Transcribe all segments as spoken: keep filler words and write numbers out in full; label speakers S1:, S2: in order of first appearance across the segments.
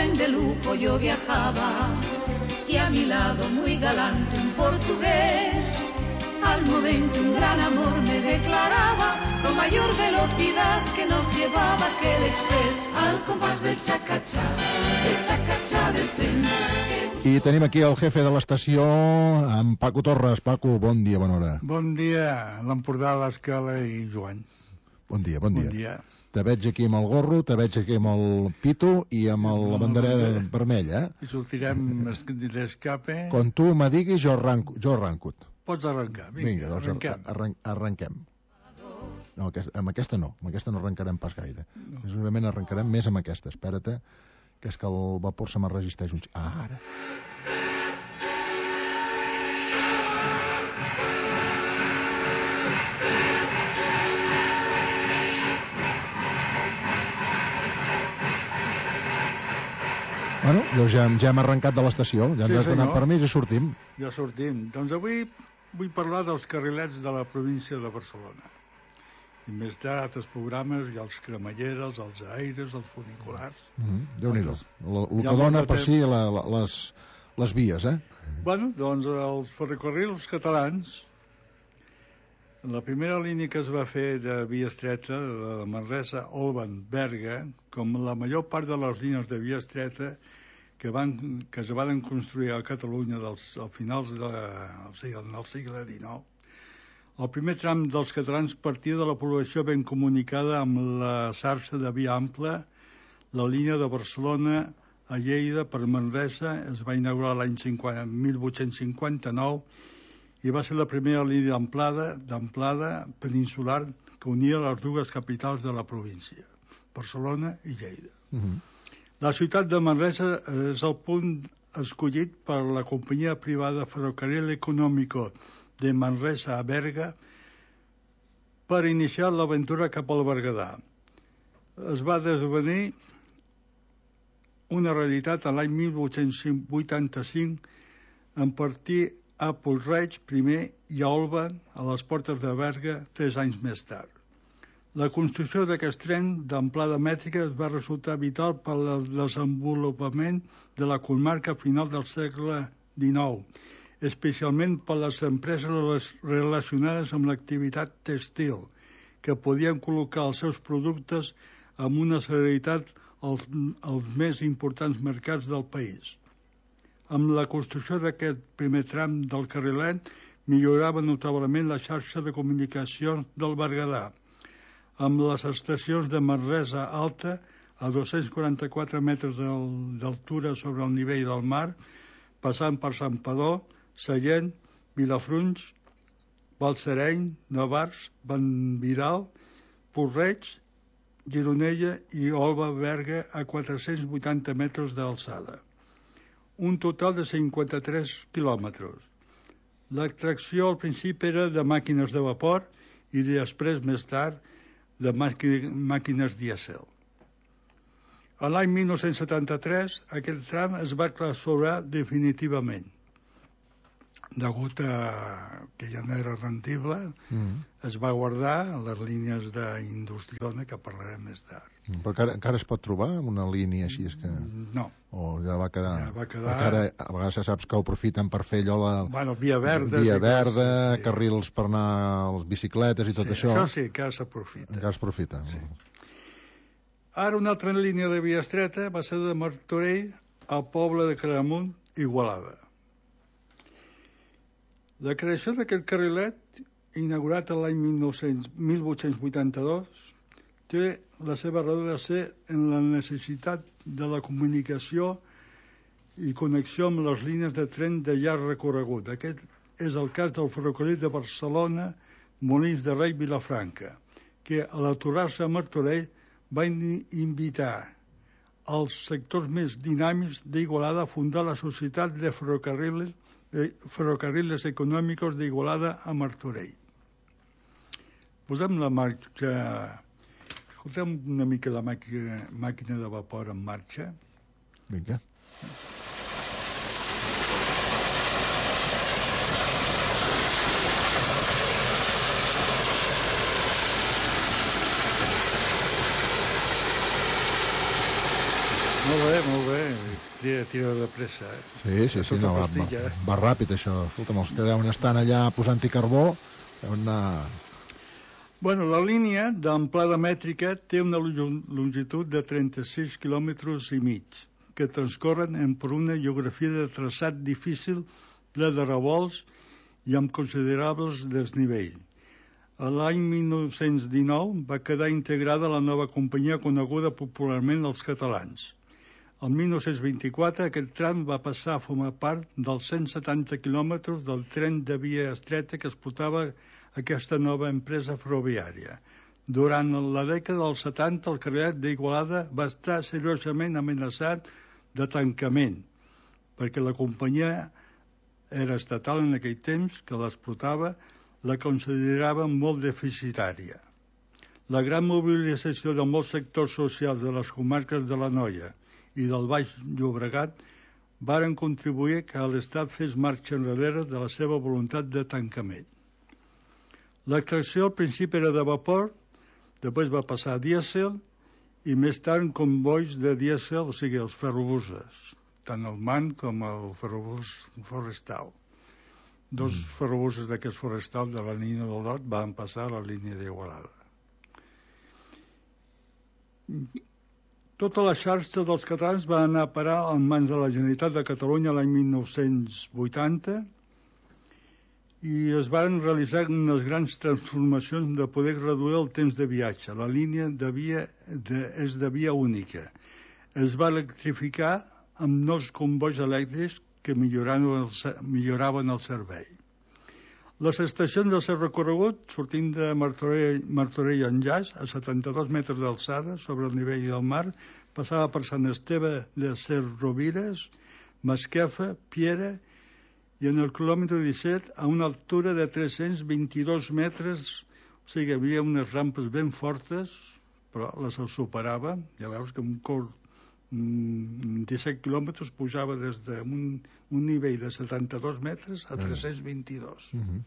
S1: tren de lujo yo viajaba y a mi lado muy galante un portugués. Al momento un gran amor me declaraba con mayor velocidad que nos llevaba aquel express al compás del xacachà, del xacachà del tren.
S2: I tenim aquí el jefe de l'estació, en Paco Torres. Paco, bon dia, bona hora.
S3: Bon dia, l'Empordà, l'Escala i Joan.
S2: Bon dia, bon dia.
S3: Bon dia.
S2: Te veig aquí amb el gorro, te veig aquí amb el pito i amb el, la bandera vermella.
S3: I sortirem d'escape.
S2: Quan tu me diguis, jo arranco. Jo arranco.
S3: Pots arrencar, vinga,
S2: vinga doncs
S3: arrenquem.
S2: Arran arrenquem. No, amb aquesta no, amb aquesta no arrencarem pas gaire. No. Segurament arrencarem més amb aquesta. Espera't, que és que el vapor se me resisteix un... Ah, ara. Bueno, doncs ja, ja hem arrencat de l'estació, ja ens sí, has donat permís i sortim.
S3: Ja sortim. Doncs avui vull parlar dels carrilets de la província de Barcelona. I més tard, els programes, i els cremalleres, els aires, els funiculars...
S2: Mm, Déu-n'hi-do. El que dona per si la, la, les, les vies, eh?
S3: Bueno, doncs els ferrocarrils catalans, la primera línia que es va fer de via estreta, de Manresa, Olvan, Berga, com la major part de les línies de via estreta que, van, que es van construir a Catalunya dels, a finals de, o sigui, del segle dinou. El primer tram dels catalans partia de la població ben comunicada amb la xarxa de via ampla. La línia de Barcelona a Lleida per Manresa es va inaugurar l'any mil vuit-cents cinquanta-nou i va ser la primera línia d'amplada, d'amplada peninsular que unia les dues capitals de la província, Barcelona i Lleida. Uh-huh. La ciutat de Manresa és el punt escollit per la companyia privada Ferrocarril Económico de Manresa a Berga per iniciar l'aventura cap al Berguedà. Es va desvenir una realitat l'any mil vuit-cents vuitanta-cinc en partir a Puig-reig primer i a Olva, a les portes de Berga, tres anys més tard. La construcció d'aquest tren d'amplada mètrica es va resultar vital per al desenvolupament de la comarca a final del segle dinou, especialment per les empreses relacionades amb l'activitat tèxtil, que podien col·locar els seus productes amb una celeritat als, als més importants mercats del país. Amb la construcció d'aquest primer tram del carrilet millorava notablement la xarxa de comunicació del Berguedà, amb les estacions de Manresa Alta a dos-cents quaranta-quatre metres d'altura sobre el nivell del mar, passant per Santpedor, Sallent, Vilafrunys, Balsareny, Navars, Vallvidal, Puig-reig, Gironella i Olva Berga a quatre-cents vuitanta metres d'alçada. Un total de cinquanta-tres quilòmetres. L'extracció al principi era de màquines de vapor i després, més tard, de màquines dièsel. A l'any mil nou-cents setanta-tres, aquest tram es va clausurar definitivament. Degut a que ja no era rendible, mm. es va guardar les línies d'Industriona, que parlarem més tard.
S2: Mm, però encara, encara es pot trobar una línia així? És que...
S3: No.
S2: O ja va quedar...
S3: Ja va quedar...
S2: Ara, a vegades ja saps que ho aprofiten per fer allò... La...
S3: Bueno, via verda...
S2: Via verda,
S3: sí.
S2: Carrils per anar a les bicicletes i tot
S3: sí,
S2: això.
S3: Això sí, que s'aprofita.
S2: Encara s'aprofita.
S3: Sí. Ara una altra línia de via estreta va ser de Martorell al poble de Claramunt, Igualada. La creació d'aquest carrilet, inaugurat l'any mil vuit-cents vuitanta-dos, té la seva raó de ser en la necessitat de la comunicació i connexió amb les línies de tren de llarg recorregut. Aquest és el cas del ferrocarril de Barcelona, Molins de Rei, Vilafranca, que a l'aturar-se a Martorell va invitar els sectors més dinàmics d'Igualada a fundar la Societat de Ferrocarriles Ferrocarriles Econòmicos d'Igualada a Martorell. Posem la marxa... Escoltem una mica la màquina, màquina de vapor en marxa.
S2: Vinga.
S3: Molt bé, molt bé. tira, tira de pressa, eh?
S2: Sí, sí, sí, no, va, va, va ràpid, això. Escolta'm, els que deuen estar allà posant-hi carbó, deuen anar...
S3: Bueno, la línia d'amplada mètrica té una longitud de trenta-sis quilòmetres i mig, que transcorren per una geografia de traçat difícil, ple de revolts i amb considerables desnivell. A l'any mil nou-cents dinou va quedar integrada la nova companyia coneguda popularment els catalans. El mil nou-cents vint-i-quatre aquest tram va passar a formar part dels cent setanta quilòmetres del tren de via estreta que explotava aquesta nova empresa ferroviària. Durant la dècada dels setanta el carrilet d'Igualada va estar seriosament amenaçat de tancament, perquè la companyia era estatal en aquell temps que l'explotava, la considerava molt deficitària. La gran mobilització de molts sectors socials de les comarques de l'Anoia i del Baix Llobregat varen contribuir que l'Estat fes marxa enrere de la seva voluntat de tancament. L'extracció al principi era de vapor, després va passar a dièsel i més tard convois de dièsel, o sigui, els ferrobuses, tant el MAN com el ferrobús forestal. Dos mm. ferrobusos d'aquests forestal de la línia del Lot van passar a la línia d'Igualada. Tota la xarxa dels catalans va anar a parar en mans de la Generalitat de Catalunya l'any mil nou-cents vuitanta i es van realitzar unes grans transformacions de poder reduir el temps de viatge. La línia de via de, és de via única. Es va electrificar amb nous combois elèctrics que milloraven el, milloraven el servei. Les estacions del seu recorregut, sortint de Martorell, Martorell Enllaç, a setanta-dos metres d'alçada sobre el nivell del mar, passava per Sant Esteve de Cerrovires, Masquefa, Piera, i en el quilòmetre disset, a una altura de tres-cents vint-i-dos metres, o sigui, hi havia unes rampes ben fortes, però les superava. Ja veus que un curs disset quilòmetres pujava des d'un un nivell de setanta-dos metres a tres-cents vint-i-dos. Uh-huh.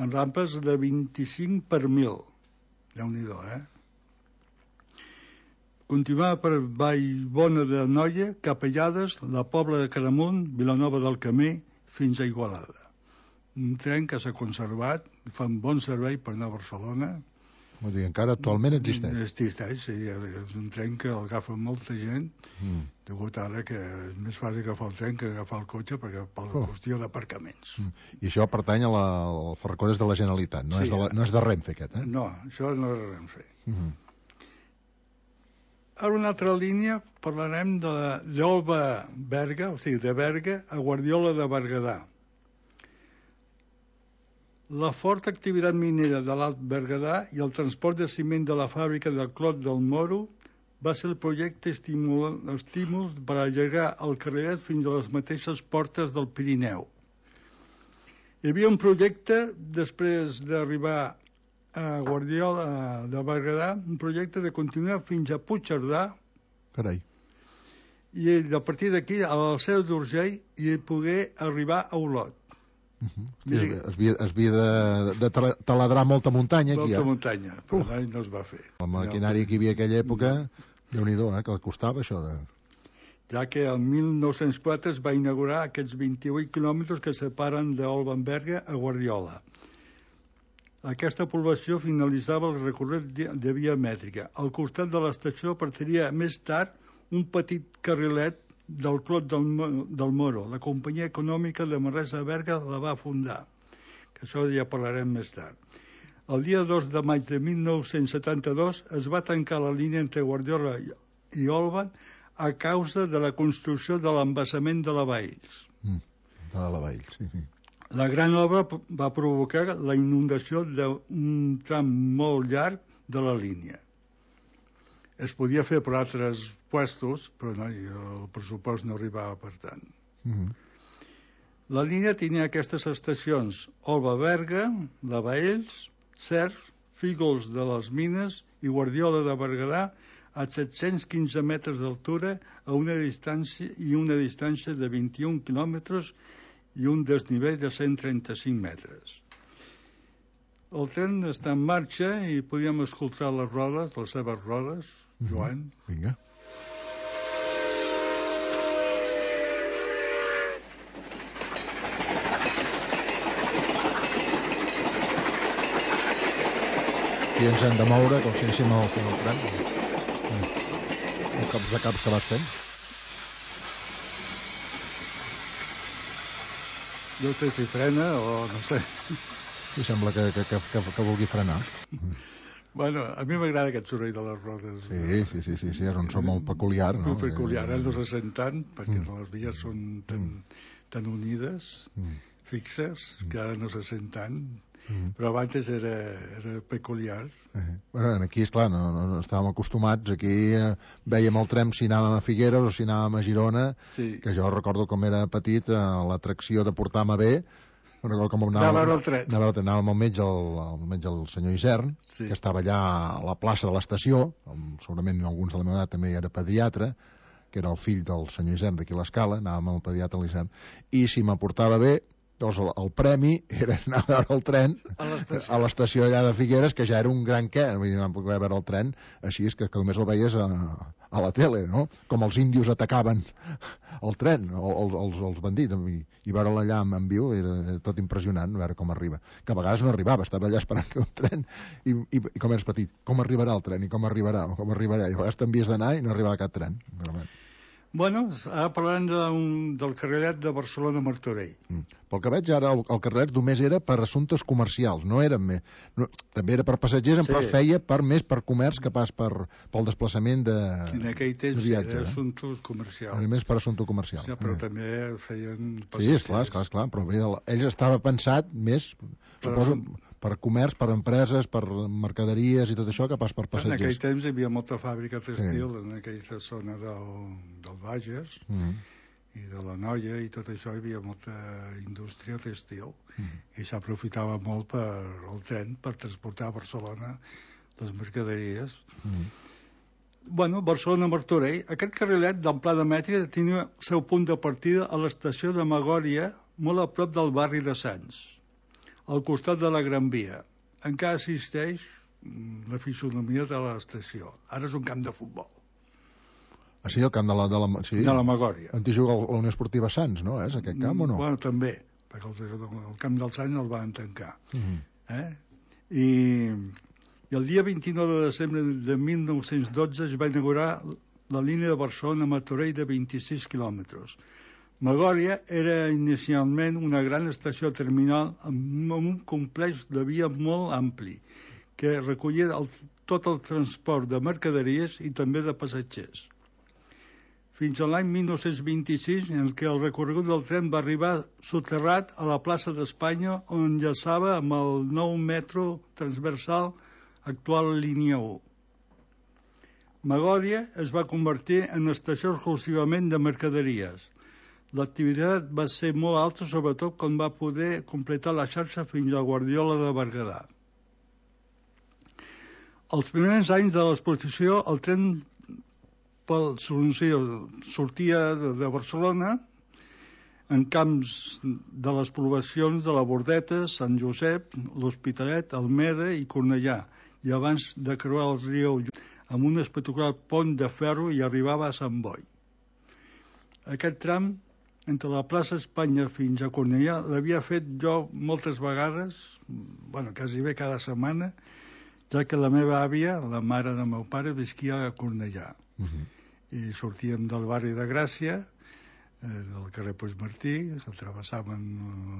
S3: En rampes de vint-i-cinc per mil. Déu-n'hi-do, eh? Continuava per Vallbona de Noia, Capellades, la Pobla de Caramunt, Vilanova del Camí, fins a Igualada. Un tren que s'ha conservat, fa un bon servei per anar a Barcelona.
S2: Vull dir, encara actualment existeix.
S3: Existeix, sí. És un tren que l'agafa molta gent, mm. degut ara que és més fàcil agafar el tren que agafar el cotxe perquè per la oh. qüestió d'aparcaments. Mm.
S2: I això pertany a la, al ferrocarril de la Generalitat, no, sí, és de la, no és de Renfe aquest, eh?
S3: No, això no és de Renfe. Mm-hmm. Ara una altra línia parlarem de d'Olva-Berga, o sigui, de Berga a Guardiola de Berguedà. La forta activitat minera de l'Alt Berguedà i el transport de ciment de la fàbrica del Clot del Moro va ser el projecte estímul, estímuls per allargar el carrilet fins a les mateixes portes del Pirineu. Hi havia un projecte, després d'arribar a Guardiola de Berguedà, un projecte de continuar fins a Puigcerdà.
S2: Carai.
S3: I a partir d'aquí, a la Seu d'Urgell, i poder arribar a Olot.
S2: Uh-huh. Mira, es havia, es havia de, de taladrar molta muntanya aquí,
S3: molta
S2: eh?
S3: muntanya, però uh. no es va fer.
S2: El maquinari que hi havia aquella època, Déu-n'hi-do, eh, que costava això de...
S3: Ja que el mil nou-cents quatre es va inaugurar aquests vint-i-vuit quilòmetres que separen d'Olva-Berga a Guardiola. Aquesta població finalitzava el recorregut de via mètrica. Al costat de l'estació partiria més tard un petit carrilet del Clot del, del Moro. La companyia econòmica de Manresa-Berga la va fundar, que això ja parlarem més tard. El dia dos de maig de mil nou-cents setanta-dos es va tancar la línia entre Guardiola i Olvan a causa de la construcció de l'embassament de la Valls.
S2: Mm, de la Valls, sí, sí.
S3: La gran obra va provocar la inundació d'un tram molt llarg de la línia. Es podia fer per altres puestos, però no, el pressupost no arribava per tant. Mm-hmm. La línia tenia aquestes estacions: Olva-Berga, La Valls, Cercs, Fígols de les Mines i Guardiola de Berguedà a set-cents quinze metres d'altura a una distància i una distància de vint-i-un quilòmetres i un desnivell de cent trenta-cinc metres. El tren està en marxa i podíem escoltar les rodes, les seves rodes, Joan.
S2: Vinga. aquí ens hem de moure, com si anéssim al final del tren. El caps de caps que vas fent.
S3: No sé si frena o no sé.
S2: Sí, sembla que, que, que, que, que vulgui frenar.
S3: Bueno, a mi m'agrada aquest soroll de les rodes.
S2: Sí, sí, sí, sí, sí, és un so molt peculiar, no?
S3: Molt peculiar, eh? No se sent tant, perquè
S2: Mm.
S3: les vies són tan, tan unides,
S2: Mm.
S3: fixes, que ara no se sent tant,
S2: Mm.
S3: però abans era, era peculiar.
S2: Eh, bueno, aquí, esclar, no, no, no estàvem acostumats. Aquí eh, vèiem el tren si anàvem a Figueres o si anàvem a Girona,
S3: Sí.
S2: que jo recordo com era petit, eh, l'atracció de portar-me bé. Bueno, com
S3: Anar a veure el tren.
S2: Anava, anàvem al metge, el, el metge, el senyor Isern,
S3: Sí.
S2: que estava allà a la plaça de l'estació, amb- segurament alguns de la meva edat també era pediatre, que era el fill del senyor Isern d'aquí a l'Escala, anàvem amb el pediatre a l'Isern, i si m'aportava bé, doncs el, el premi era anar a veure el tren
S3: A l'estació.
S2: a l'estació allà de Figueres, que ja era un gran què, vull dir, no poder veure el tren així, és que, que només el veies a, a la tele, no? Com els índios atacaven el tren, els, els, els bandits, i, i veure'l allà en, en viu era tot impressionant, veure com arriba, que a vegades no arribava, estava allà esperant que el tren, i, i, i com eres petit, com arribarà el tren, i com arribarà, com arribarà, i a vegades t'envies d'anar i no arribava cap tren, realment.
S3: Bueno, ara parlant de, un, del carrilet de Barcelona-Martorell.
S2: Mm. Pel que veig ara, el, el carrilet només era per assumptes comercials, no era més, no, també era per passatgers, sí. Però feia per, més per comerç que pas per, pel desplaçament de,
S3: En aquell temps
S2: de viatge.
S3: era
S2: Eh?
S3: assumptes comercials.
S2: Era més per assumpte comercial.
S3: Sí, però
S2: eh.
S3: també feien
S2: Sí,
S3: passatgers.
S2: esclar, esclar, esclar, però bé, el- ell estava pensat més,
S3: Per
S2: suposo,
S3: assum-
S2: per comerç, per empreses, per mercaderies i tot això, que pas per
S3: En aquell
S2: passatgers.
S3: temps hi havia molta fàbrica textil sí. en aquella zona del, del Bages
S2: Mm.
S3: i de la Noia i tot això, hi havia molta indústria textil
S2: Mm.
S3: i s'aprofitava molt per el tren per transportar a Barcelona les mercaderies.
S2: Mm.
S3: Bueno, Barcelona-Martorell, aquest carrilet d'amplada mètrica tenia el seu punt de partida a l'estació de Magòria, molt a prop del barri de Sants, al costat de la Gran Via. Encara existeix mm, la fisonomia de l'estació. Ara és un camp de futbol,
S2: Ah, sí, el camp de la... De la, sí.
S3: de la Magòria.
S2: On hi juga la Unió Esportiva Sants, no? És aquest camp o no?
S3: Bueno, també, perquè el, el camp del Sants el van tancar.
S2: Mm.
S3: Eh? I, I el dia vint-i-nou de desembre de mil nou-cents dotze es va inaugurar la línia de Barcelona-Martorell de vint-i-sis quilòmetres. Magòria era inicialment una gran estació terminal amb un complex de via molt ampli que recollia el, tot el transport de mercaderies i també de passatgers. Fins a l'any mil nou-cents vint-i-sis, en què el recorregut del tren va arribar soterrat a la plaça d'Espanya, on enllaçava amb el nou metro transversal actual línia u. Magòria es va convertir en estació exclusivament de mercaderies. L'activitat va ser molt alta, sobretot quan va poder completar la xarxa fins a Guardiola de Berguedà. Els primers anys de l'exposició, el tren pel, sortia de Barcelona en camps de les poblacions de la Bordeta, Sant Josep, l'Hospitalet, Almeda i Cornellà, i abans de creuar el riu amb un espectacular pont de ferro i arribava a Sant Boi. Aquest tram entre la plaça Espanya fins a Cornellà l'havia fet jo moltes vegades, bueno, quasi bé cada setmana, ja que la meva àvia, la mare del meu pare, visquia a Cornellà.
S2: Mm-hmm.
S3: I sortíem del barri de Gràcia, eh, del carrer Puigmartí, s'atravessaven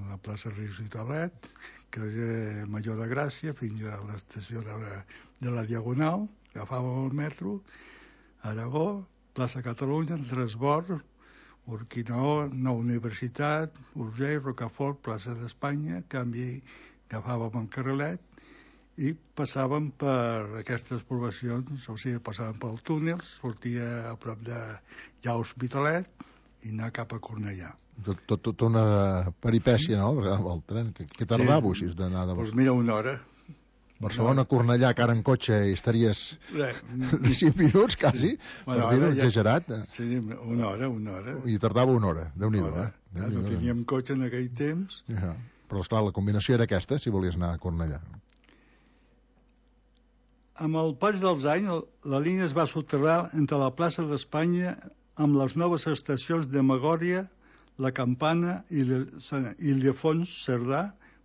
S3: la plaça Rius i Tolet, carrer Major de Gràcia, fins a l'estació de la, de la Diagonal, agafàvem el metro, Aragó, plaça Catalunya, Transbord, Urquinaó, Nou Universitat, Urgell, Rocafort, plaça d'Espanya, canvi, agafàvem el carrilet i passàvem per aquestes poblacions, o sigui, passàvem pel túnel, sortia a prop de ja Hospitalet i anar cap a Cornellà.
S2: Tot, tot, tot una peripècia, no? El tren, que, que tardava sí. Així d'anar de
S3: Doncs pues mira, una hora.
S2: Barcelona-Cornellà, que ara en cotxe i estaries cinc minuts, quasi, sí. Bueno, per dir-ho, ja... exagerat.
S3: Sí, una hora, una hora.
S2: I tardava una hora, Déu-n'hi-do, eh?
S3: Ja no teníem cotxe en aquell temps.
S2: Ja. Però, esclar, la combinació era aquesta, si volies anar a Cornellà.
S3: Amb el pas dels anys, la línia es va soterrar entre la plaça d'Espanya amb les noves estacions de Magòria, la Campana i Ildefons, Cerdà,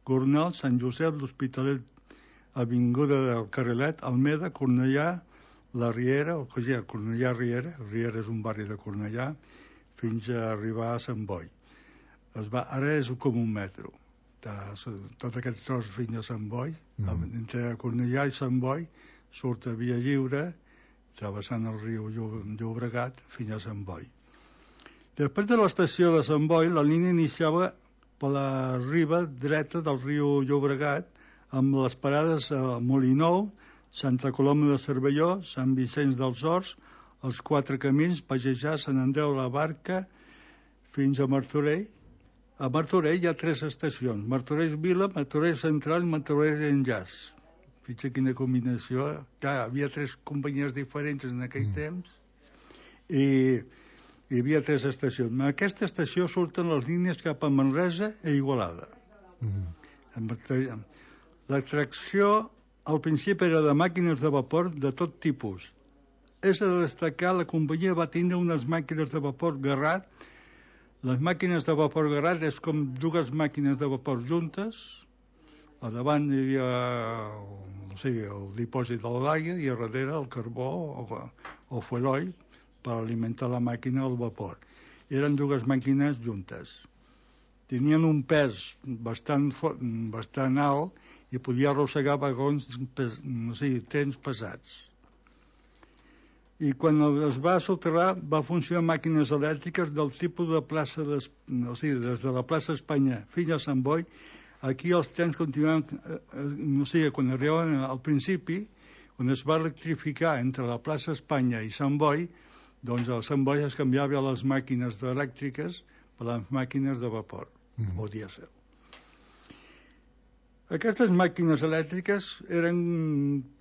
S3: Gornal, Sant Josep, l'Hospitalet, avinguda del Carrilet, Almeda, Cornellà, la Riera, o sigui, Cornellà Riera, Riera és un barri de Cornellà, fins a arribar a Sant Boi. Es va, ara és com un metro. Tot aquest tros fins a Sant Boi, mm. entre Cornellà i Sant Boi, surt a Via Lliure, travessant el riu Llobregat fins a Sant Boi. Després de l'estació de Sant Boi, la línia iniciava per la riba dreta del riu Llobregat, amb les parades a Molinou, Santa Coloma de Cervelló, Sant Vicenç dels Horts, els Quatre Camins, Pagejar, Sant Andreu la Barca, fins a Martorell. A Martorell hi ha tres estacions, Martorell Vila, Martorell Central i Martorell Enllaç. Fixa quina combinació. Clar, hi havia tres companyies diferents en aquell mm. temps i hi havia tres estacions. En aquesta estació surten les línies cap a Manresa i Igualada. Mm. L'extracció al principi era de màquines de vapor de tot tipus. És de destacar, la companyia va tindre unes màquines de vapor Garrat. Les màquines de vapor Garrat és com dues màquines de vapor juntes. A davant hi havia o sigui, el dipòsit de l'aigua i a darrere el carbó o, o fueloil per alimentar la màquina al vapor. Eren dues màquines juntes. Tenien un pes bastant, bastant alt i podia arrossegar vagons, pes, o sigui, trens pesats. I quan es va soterrar va funcionar màquines elèctriques del tipus de plaça, de, o sigui, des de la plaça Espanya fins a Sant Boi. Aquí els trens continuaven, no sé, quan arribaven al principi, quan es va electrificar entre la plaça Espanya i Sant Boi, doncs a Sant Boi es canviava les màquines elèctriques per les màquines de vapor, mm. o dièsel. Aquestes màquines elèctriques eren,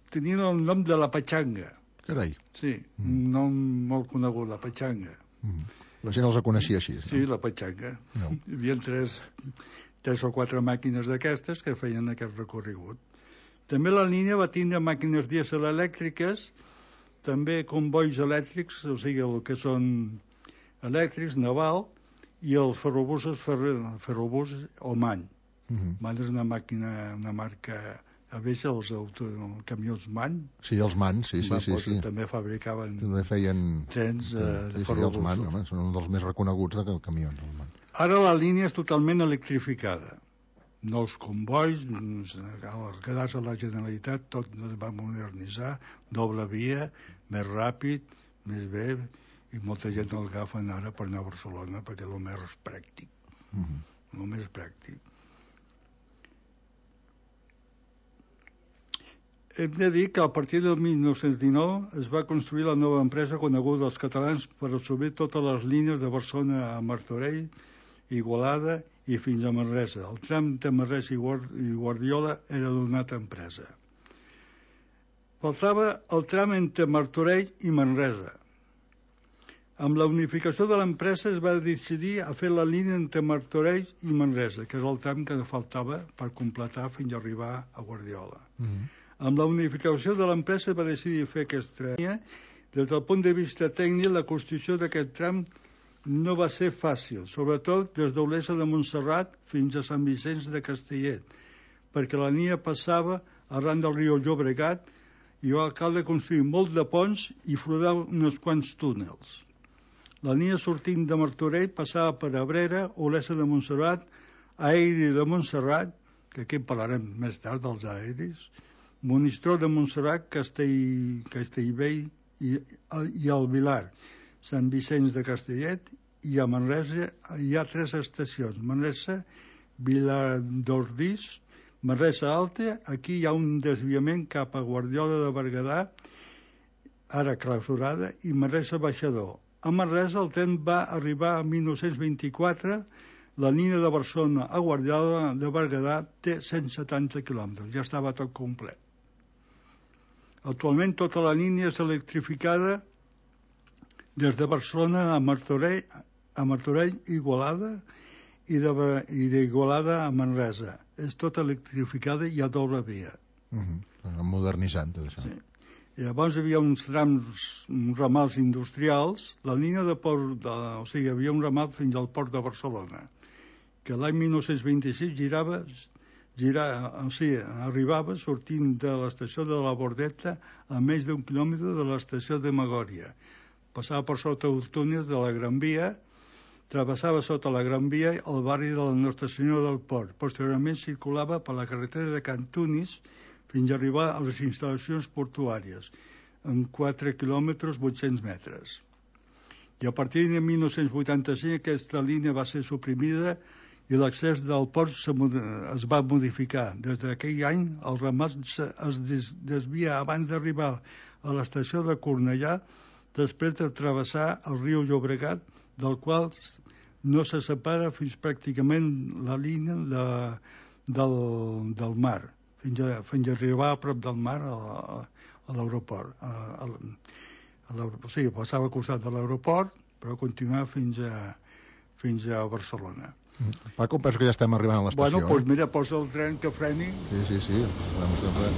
S3: tenien el nom de la Patxanga.
S2: Carai.
S3: Sí, mm. un nom molt conegut, la Patxanga.
S2: Mm. La gent els coneixia així.
S3: Sí, no? La Patxanga. No. Hi havia tres... tres o quatre màquines d'aquestes que feien aquest recorregut. També la línia va tindre màquines dièsel elèctriques, també convois elèctrics, o sigui, el que són elèctrics, naval, i els ferrobusos, ferro, ferrobús Oman. Uh-huh. Man és una màquina, una marca, a veure els auto, camions Man.
S2: Sí, els Man, sí, sí, sí, sí.
S3: També fabricaven
S2: també feien...
S3: trens eh,
S2: sí,
S3: de ferrobusos.
S2: Sí, els Man, home, són un dels més reconeguts de camions, els Man.
S3: Ara la línia és totalment electrificada. Nous convois, quedar-se a la Generalitat, tot es va modernitzar, doble via, més ràpid, més bé, i molta gent el agafen ara per anar a Barcelona perquè és el més pràctic. Uh-huh. El més pràctic. Hem de dir que a partir del mil nou-cents dinou es va construir la nova empresa coneguda dels catalans per assumir totes les línies de Barcelona a Martorell, Igualada i fins a Manresa. El tram de Manresa i Guardiola era d'una altra empresa. Faltava el tram entre Martorell i Manresa. Amb la unificació de l'empresa es va decidir a fer la línia entre Martorell i Manresa, que és el tram que faltava per completar fins a arribar a Guardiola. Mm-hmm. Amb la unificació de l'empresa es va decidir fer aquesta línia. Des del punt de vista tècnic, la construcció d'aquest tram no va ser fàcil, sobretot des d'Olesa de Montserrat fins a Sant Vicenç de Castellet, perquè la línia passava arran del riu Llobregat i va cal de construir molt de ponts i flodar uns quants túnels. La línia sortint de Martorell passava per Abrera, Olesa de Montserrat, Aeri de Montserrat, que aquí en parlarem més tard dels aeris, Monistrol de Montserrat, Castell, Castellvell i, i el Vilar, Sant Vicenç de Castellet, i a Manresa hi ha tres estacions. Manresa, Viladordís, Manresa Alta, aquí hi ha un desviament cap a Guardiola de Berguedà, ara clausurada, i Manresa Baixador. A Manresa el tren va arribar a mil nou-cents vint-i-quatre, la línia de Barcelona a Guardiola de Berguedà té cent setanta quilòmetres, ja estava tot complet. Actualment tota la línia és electrificada des de Barcelona a Martorell, a Martorell Igualada i d'Igualada a Manresa. És tota electrificada i a doble via.
S2: Uh-huh. Modernitzant tot això.
S3: Sí. I llavors hi havia uns trams, uns ramals industrials, la línia de port, de, o sigui, hi havia un ramal fins al port de Barcelona, que l'any mil nou-cents vint-i-sis girava girar, o sigui, arribava sortint de l'estació de la Bordeta a més d'un quilòmetre de l'estació de Magòria. Passava per sota els túnels de la Gran Via, travessava sota la Gran Via el barri de la Nostra Senyora del Port. Posteriorment circulava per la carretera de Cantunis fins a arribar a les instal·lacions portuàries, en quatre quilòmetres vuit-cents metres. I a partir de mil nou-cents vuitanta-cinc aquesta línia va ser suprimida i l'accés del port es va modificar. Des d'aquell any el ramat es desvia abans d'arribar a l'estació de Cornellà, després de travessar el riu Llobregat, del qual no se separa fins pràcticament la línia de, del, del mar, fins a, fins a arribar a prop del mar a, a, a l'aeroport. A, a, a o sigui, passava al costat de l'aeroport, però continuava fins a, fins a Barcelona.
S2: Paco, penso que ja estem arribant a l'estació.
S3: Bueno, doncs pues mira, posa el tren que freni.
S2: Sí, sí, sí. Vamos a ver.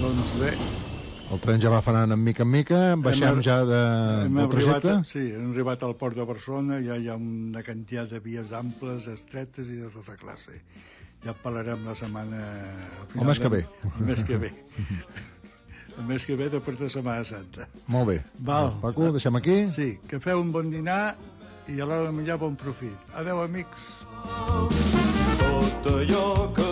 S3: Doncs bé.
S2: El tren ja va frenant en mica en mica, baixem hem, ja de, del trajecte?
S3: Arribat, sí, hem arribat al port de Barcelona, ja hi ha una quantitat de vies amples, estretes i de tota classe. Ja parlarem la setmana...
S2: El mes que ve.
S3: El mes que ve. El mes que ve després de Setmana Santa.
S2: Molt bé.
S3: Val.
S2: Paco, deixem aquí?
S3: Sí, que feu un bon dinar i a l'hora de menjar bon profit. Adeu, amics.
S4: Tot allò que